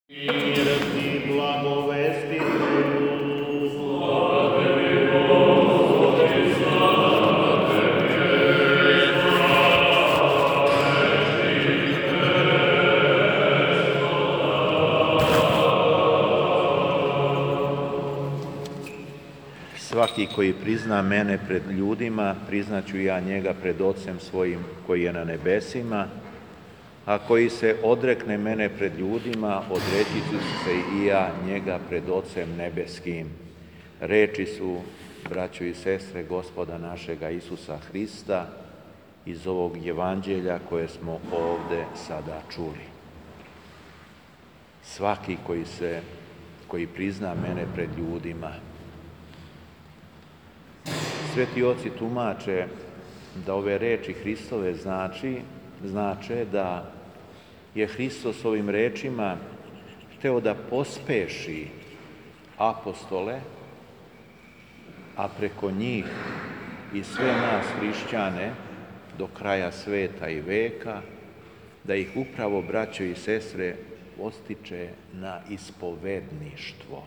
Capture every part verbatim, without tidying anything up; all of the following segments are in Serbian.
Mir ti blagovestitelju, svaki koji prizna mene pred ljudima, priznaću ja njega pred Ocem svojim koji je na nebesima, a koji se odrekne mene pred ljudima, odreći ću se i ja njega pred Ocem nebeskim. Reči su, braćo i sestre, Gospoda našega Isusa Hrista iz ovog evanđelja koje smo ovde sada čuli. Svaki koji se, koji prizna mene pred ljudima. Sveti oci tumače da ove reči Hristove znači, znače da je Hristos ovim rečima hteo da pospeši apostole, a preko njih i sve nas hrišćane do kraja sveta i veka, da ih upravo, braćo i sestre, postiče na ispovedništvo.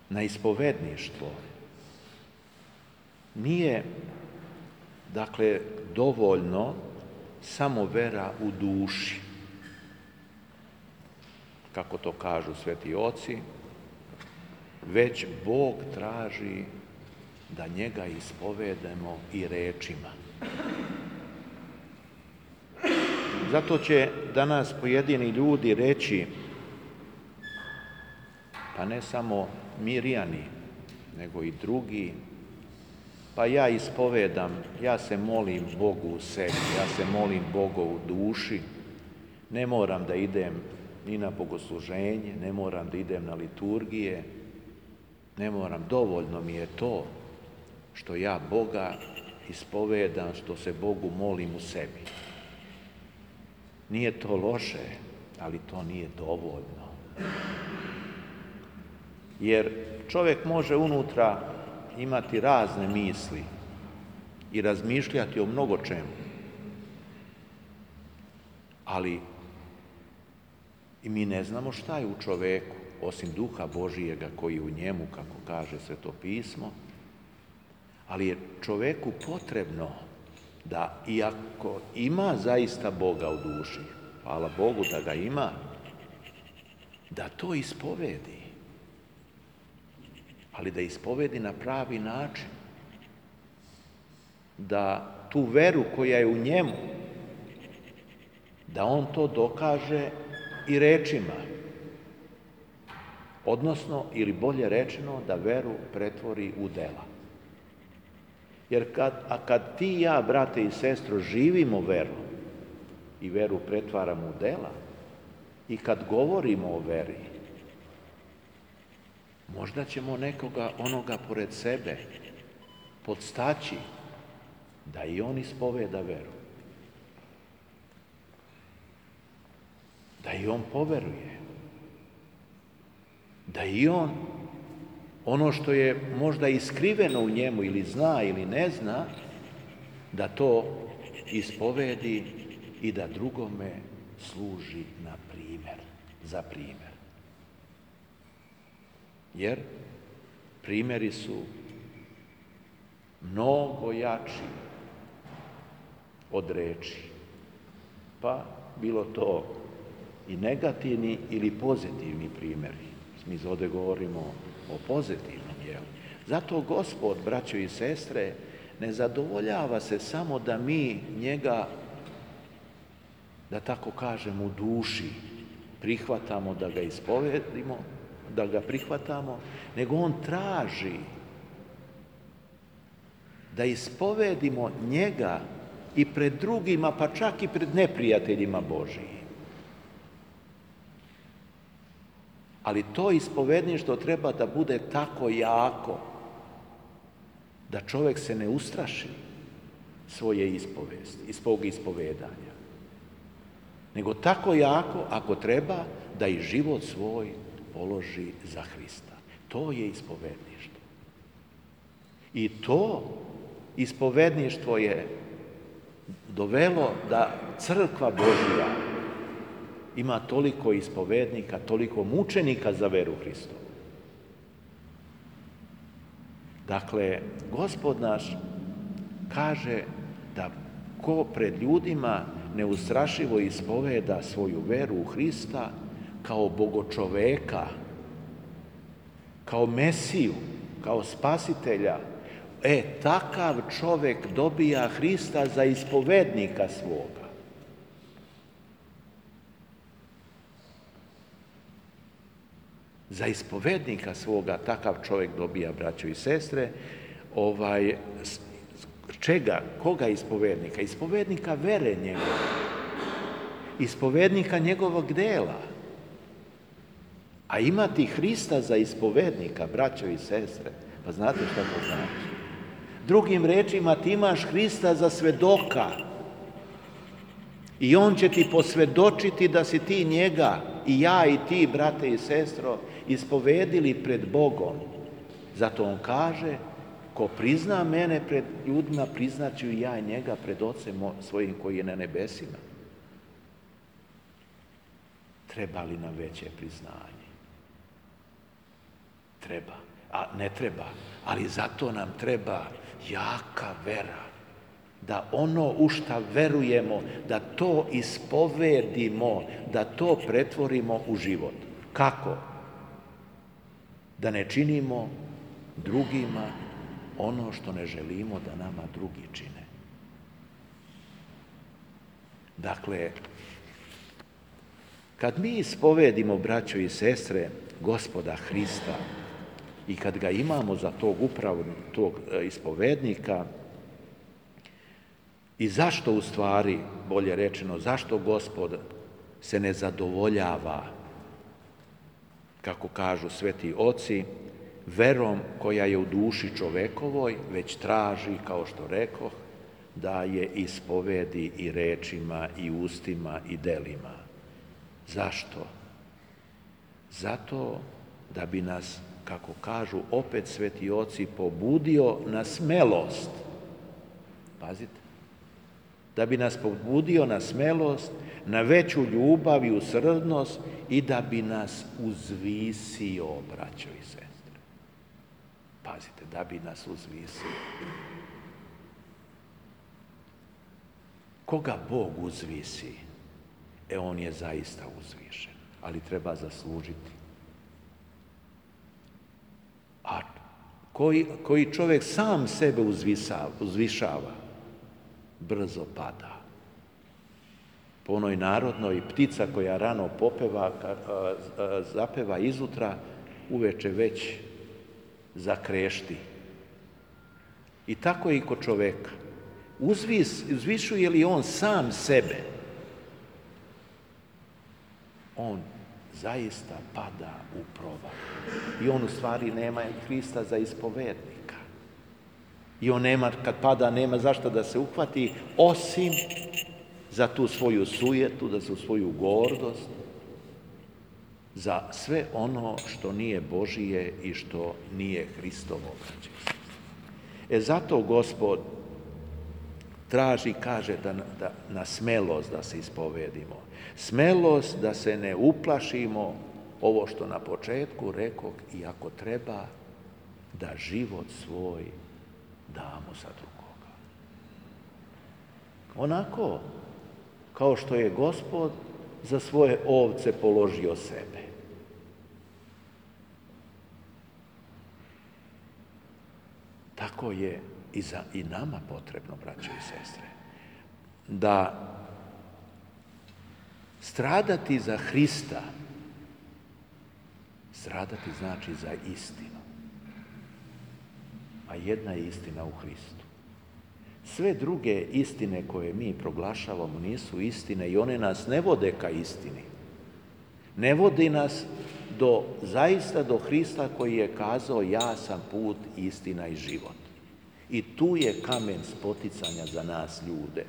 Na ispovedništvo. Nije, dakle, dovoljno samo vera u duši, kako to kažu sveti oci, već Bog traži da njega ispovedemo i rečima. Zato će danas pojedini ljudi reći, pa ne samo Mirjani, nego i drugi, pa ja ispovedam, ja se molim Bogu u sebi, ja se molim Bogu u duši, ne moram da idem ni na bogosluženje, ne moram da idem na liturgije, ne moram, dovoljno mi je to što ja Boga ispovedam, što se Bogu molim u sebi. Nije to loše, ali to nije dovoljno. Jer čovjek može unutra imati razne misli i razmišljati o mnogo čemu. Ali i mi ne znamo šta je u čoveku, osim duha Božijega koji je u njemu, kako kaže Sveto pismo, ali je čoveku potrebno da, iako ima zaista Boga u duši, hvala Bogu da ga ima, da to ispovedi. Ali da ispovedi na pravi način, da tu veru koja je u njemu, da on to dokaže i rečima, odnosno, ili bolje rečeno, da veru pretvori u dela. Jer kad, a kad ti i ja, brate i sestro, živimo veru i veru pretvaramo u dela, i kad govorimo o veri, možda ćemo nekoga, onoga pored sebe, podstaći da i on ispoveda veru. Da i on poveruje. Da i on, ono što je možda iskriveno u njemu ili zna ili ne zna, da to ispovedi i da drugome služi na primjer, za primjer. Jer primjeri su mnogo jači od reči. Pa bilo to i negativni ili pozitivni primjeri. Mi ovdje govorimo o pozitivnom dijelu. Zato Gospod, braćo i sestre, ne zadovoljava se samo da mi njega, da tako kažem, u duši prihvatamo, da ga ispovedimo, da ga prihvatamo, nego on traži da ispovedimo njega i pred drugima, pa čak i pred neprijateljima Božijim. Ali to ispovedništvo treba da bude tako jako da čovjek se ne ustraši svoje ispovesti, svog ispovedanja. Nego tako jako, ako treba, da i život svoj položi za Hrista. To je ispovedništvo. I to ispovedništvo je dovelo da crkva Božja ima toliko ispovednika, toliko mučenika za veru Hristovu. Dakle, Gospod naš kaže da ko pred ljudima neustrašivo ispoveda svoju veru u Hrista kao bogočoveka, kao Mesiju, kao spasitelja, e, takav čovek dobija Hrista za ispovednika svoga. Za ispovednika svoga takav čovjek dobija, braćo i sestre, ovaj, čega? Koga ispovednika? Ispovednika vere njegove. Ispovednika njegovog dela. A imati Hrista za ispovednika, braćo i sestre, pa znate šta to znači? Drugim rečima, ti imaš Hrista za svedoka i on će ti posvedočiti da si ti njega i ja i ti, brate i sestro, ispovedili pred Bogom. Zato on kaže, ko prizna mene pred ljudima, priznaću i ja i njega pred Ocem svojim koji je na nebesima. Treba li nam veće priznanje? Treba. A ne treba. Ali zato nam treba jaka vera. Da ono u šta verujemo, da to ispovedimo, da to pretvorimo u život. Kako? Da ne činimo drugima ono što ne želimo da nama drugi čine. Dakle, kad mi ispovedimo, braćo i sestre, Gospoda Hrista i kad ga imamo za tog upravo tog ispovednika, i zašto u stvari, bolje rečeno, zašto Gospod se ne zadovoljava, kako kažu sveti oci, verom koja je u duši čovekovoj, već traži, kao što rekoh, da je ispovedi i rečima, i ustima, i delima. Zašto? Zato da bi nas, kako kažu opet sveti oci, pobudio na smelost. Pazite. Da bi nas pobudio na smelost, na veću ljubav i usrdnost i da bi nas uzvisio, braćo i sestre. Pazite, da bi nas uzvisio. Koga Bog uzvisi, e on je zaista uzvišen, ali treba zaslužiti. A koji, koji čovjek sam sebe uzvisava, uzvišava, brzo pada. Po onoj narodnoj, ptica koja rano popeva, zapeva izutra, uveče već zakrešti. I tako je i kod čoveka. Uzvis, uzvišuje li on sam sebe, on zaista pada u provaliju. I on u stvari nema Hrista za ispovednika. I on nema, kad pada, nema zašto da se uhvati, osim za tu svoju sujetu, da za svoju gordost, za sve ono što nije Božije i što nije Hristovo. E zato Gospod traži, kaže, da, da, na smelost da se ispovedimo. Smelost da se ne uplašimo, ovo što na početku rekoh, i ako treba, da život svoj damo za drugoga. Onako, kao što je Gospod za svoje ovce položio sebe. Tako je i, za, i nama potrebno, braćo i sestre, da stradati za Hrista, stradati znači za istinu. A jedna je istina u Hristu. Sve druge istine koje mi proglašavamo nisu istine i one nas ne vode ka istini. Ne vodi nas do, zaista do Hrista koji je kazao ja sam put, istina i život. I tu je kamen spoticanja za nas ljude,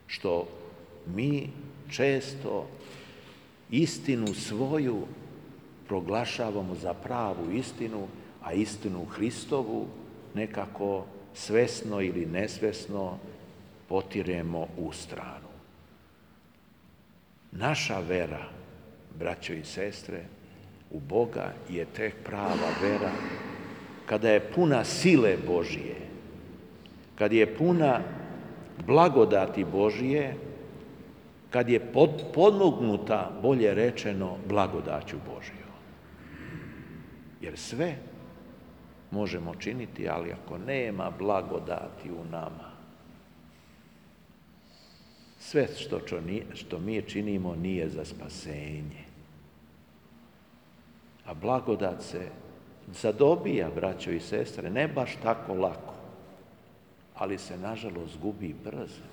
što mi često istinu svoju proglašavamo za pravu istinu, a istinu Hristovu nekako svesno ili nesvesno potiremo u stranu. Naša vera, braćo i sestre, u Boga je tek prava vera kada je puna sile Božije, kad je puna blagodati Božije, kad je podmognuta, bolje rečeno, blagodaću Božijom. Jer sve možemo činiti, ali ako nema blagodati u nama, sve što, što mi činimo nije za spasenje. A blagodat se zadobija, braćo i sestre, ne baš tako lako, ali se, nažalost, gubi brzo.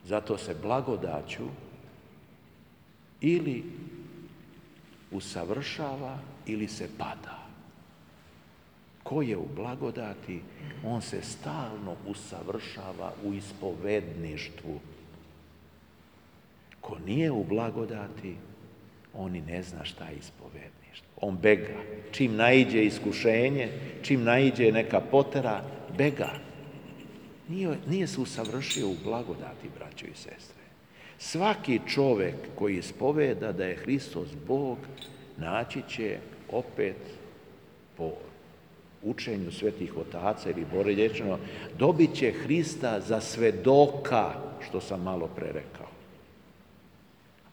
Zato se blagodaću ili usavršava ili se pada. Ko je u blagodati, on se stalno usavršava u ispovedništvu. Ko nije u blagodati, on i ne zna šta je ispovedništvo. On bega. Čim naiđe iskušenje, čim naiđe neka potera, bega. Nije, nije se usavršio u blagodati, braćo i sestre. Svaki čovjek koji ispoveda da je Hristos Bog, naći će opet po učenju svetih otaca ili bolje rečeno, dobit će Hrista za svedoka, što sam malo pre rekao.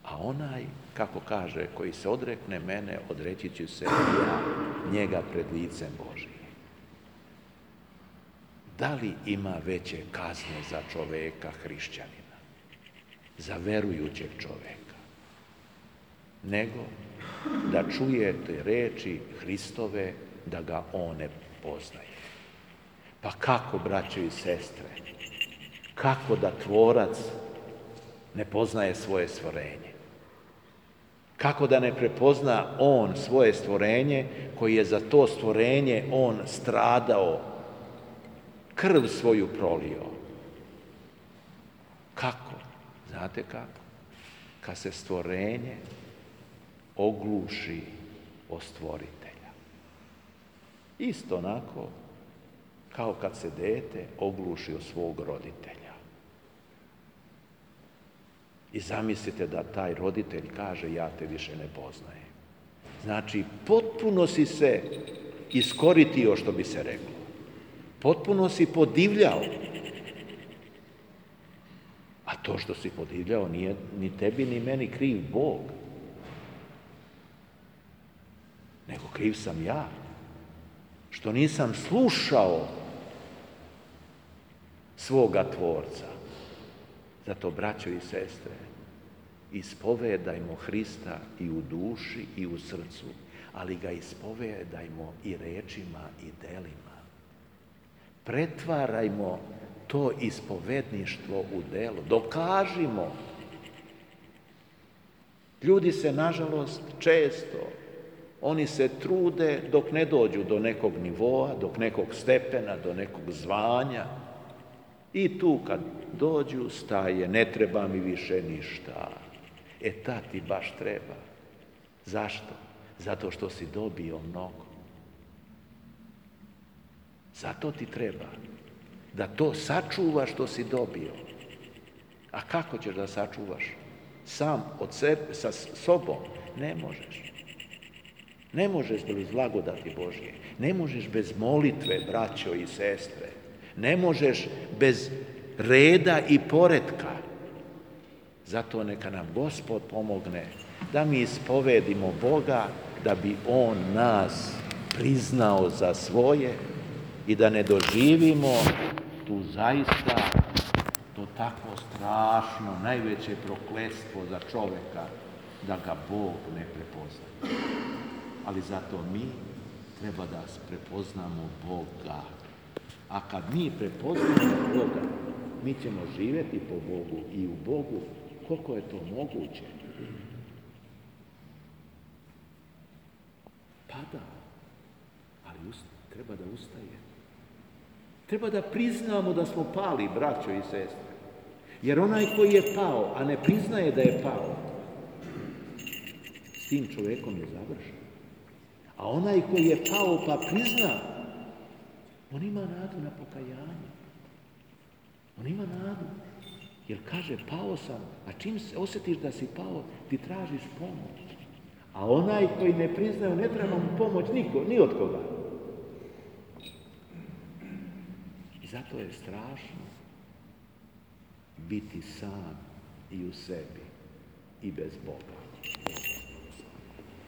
A onaj, kako kaže, koji se odrekne mene, odreći ću se ja njega pred licem Božijim. Da li ima veće kazne za čoveka hrišćanina, za verujućeg čoveka, nego da čujete reči Hristove, da ga on ne poznaje? Pa kako, braćo i sestre, kako da tvorac ne poznaje svoje stvorenje? Kako da ne prepozna on svoje stvorenje, koji je za to stvorenje on stradao, krv svoju prolio? Kako? Znate kako? Kad se stvorenje ogluši o stvoritelja. Isto onako kao kad se dete ogluši o svog roditelja. I zamislite da taj roditelj kaže, ja te više ne poznajem. Znači, potpuno si se iskoritio, što bi se reklo. Potpuno si podivljao. A to što si podivljao nije ni tebi ni meni kriv Bog. Nego kriv sam ja. Što nisam slušao svoga Tvorca. Zato, braćo i sestre, ispovedajmo Hrista i u duši i u srcu, ali ga ispovedajmo i rečima i delima. Pretvarajmo to ispovedništvo u delo. Dokažimo. Ljudi se, nažalost, često, oni se trude dok ne dođu do nekog nivoa, dok nekog stepena, do nekog zvanja. I tu kad dođu, staje, ne treba mi više ništa. E, ta ti baš treba. Zašto? Zato što si dobio mnogo. Zato ti treba. Da to sačuvaš što si dobio. A kako ćeš da sačuvaš? Sam od sebe, sa sobom? Ne možeš. Ne možeš bez blagodati Božje. Ne možeš bez molitve, braćo i sestre. Ne možeš bez reda i poretka. Zato neka nam Gospod pomogne da mi ispovedimo Boga, da bi On nas priznao za svoje i da ne doživimo tu zaista to tako strašno, najveće prokletstvo za čoveka, da ga Bog ne prepozna. Ali zato mi treba da prepoznamo Boga. A kad mi prepoznamo Boga, mi ćemo živjeti po Bogu i u Bogu, koliko je to moguće. Pada, ali treba da ustaje. Treba da priznamo da smo pali, braćo i sestre. Jer onaj koji je pao, a ne priznaje da je pao, s tim čovjekom je završen. A onaj koji je pao pa prizna, on ima nadu na pokajanje. On ima nadu. Jer kaže, pao sam, a čim se osjetiš da si pao, ti tražiš pomoć. A onaj koji ne priznaje, ne treba mu pomoć niko, ni od koga. I zato je strašno biti sam i u sebi i bez Boga.